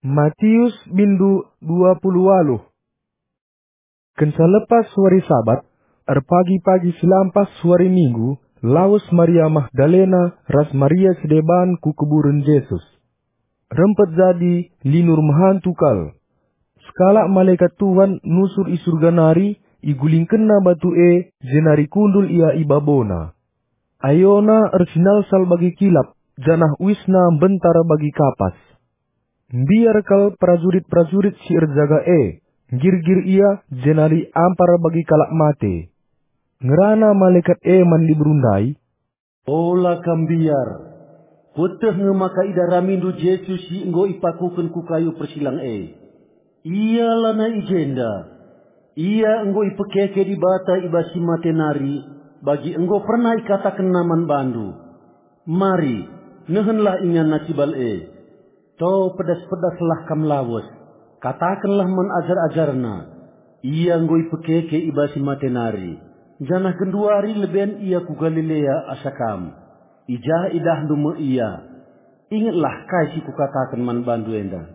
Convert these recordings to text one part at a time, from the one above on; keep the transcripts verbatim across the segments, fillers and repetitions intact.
Matius bindu dua puluh waluh. Kenca lepas wari Sabat, erpagi-pagi si lampas wari Minggu, lawes Maria Magdalena ras Maria si deban ku kuburen Jesus. Rempet jadi linur mehantu kal. Sekalak malekat Tuhan nusur i Surga nari, igulingkenna batu e, jenari kundul ia i babona. Ayona ersinalsal bagi kilap, janah uisna mbentar bagi kapas. Mbiar kal perajurit-perajurit si erjaga e, nggirgir ia, jenari ampar bagi kalak mate. Ngerana malekat e man diberu ndai, "Ola kam mbiar. Kueteh nge maka idah ramindu Jesus si enggo ipakuken ku kayu persilang e. Ia lanai i jenda. Ia enggo ipekeke Dibata i bas si mate nari, bagi enggo pernah ikatakenNa man bandu. Mari, nehenlah inganNa cibal e. To pedas-pedaslah kam lawes, katakenlah man ajar-ajarNa, 'Ia enggo ipekeke i bas si mate nari, janah genduari leben Ia ku Galilea asa kam. I jah idahndu me Ia. Ingetlah kai si kukataken man bandu enda.'"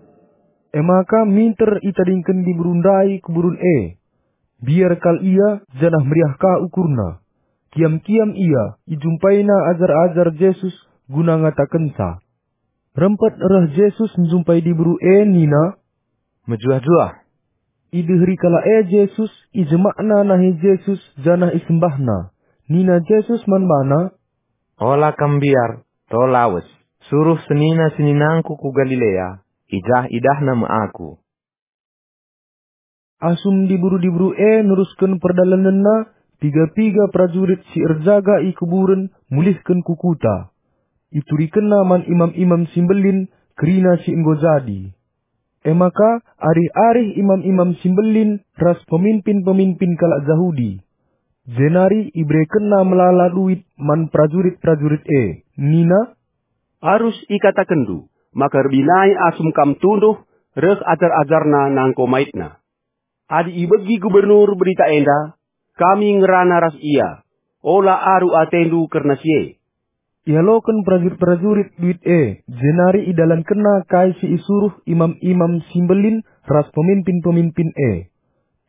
E maka minter itadingken diberu ndai kuburen e. Mbiar kal ia, janah meriah ka ukurna. Kiam-kiam ia, ijumpaina ajar-ajar Jesus guna ngatakenca. Rempet reh Jesus njumpai diberu e nina, "Mejuah-juah." Ideheri kalak e Jesus, ijemakna nahe Jesus, janah isembahna. Nina Jesus man bana, "Ola kam mbiar, to lawes. Suruh senina-seninangku ku Galilea, i jah idahna me Aku." Asum diberu-diberu e nerusken perdalanenna, piga-piga perajurit si erjaga i kuburen mulihken ku kuta. Iturikenna man imam-imam si mbelin kerina si enggo jadi. E maka arih-arih imam-imam si mbelin ras peminpin-peminpin kalak Jahudi. Jenari iberekenna melala duit man perajurit-perajurit e, nina, "Arus ikatakenndu maka erbinai asum kam tunduh reh ajar-ajarNa nangko maitNa. Adi ibegi gubernur berita enda, kami ngerana ras ia. Ola aru atendu kerna si e." Ialoken perajurit-perajurit duit e, jenari idalankenna kai si isuruh imam-imam si mbelin ras peminpin-peminpin e.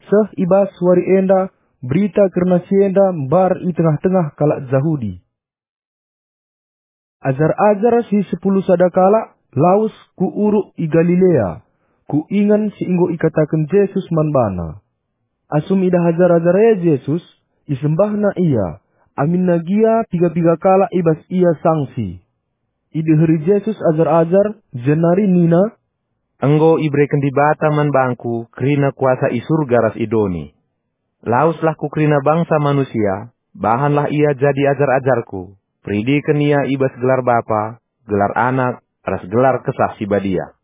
Seh i bas wari enda, berita kerna si enda mbar i tengah-tengah kalak Jahudi. Ajar-ajar si sepuluh sada kalak lawes ku uruk i Galilea, ku ingan si enggo ikataken Jesus man bana. Asum idah ajar-ajar e Jesus, isembahna ia, aminna gia piga-piga kalak i bas ia sangsi. Ideheri Jesus ajar-ajar, jenari nina, "Enggo ibereken Dibata man bangku kerina kuasa i Surga ras i doni. Laweslah ku kerina bangsa manusia, bahanlah ia jadi ajar-ajarku, peridiken ia i bas gelar Bapa, gelar Anak, ras gelar Kesah Si Badia.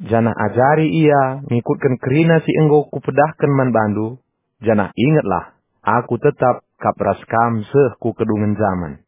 Janah ajari ia ngikutken kerina si enggo kupedahken man bandu, janah ingetlah, Aku tetap kap ras kam seh ku kedungen jaman."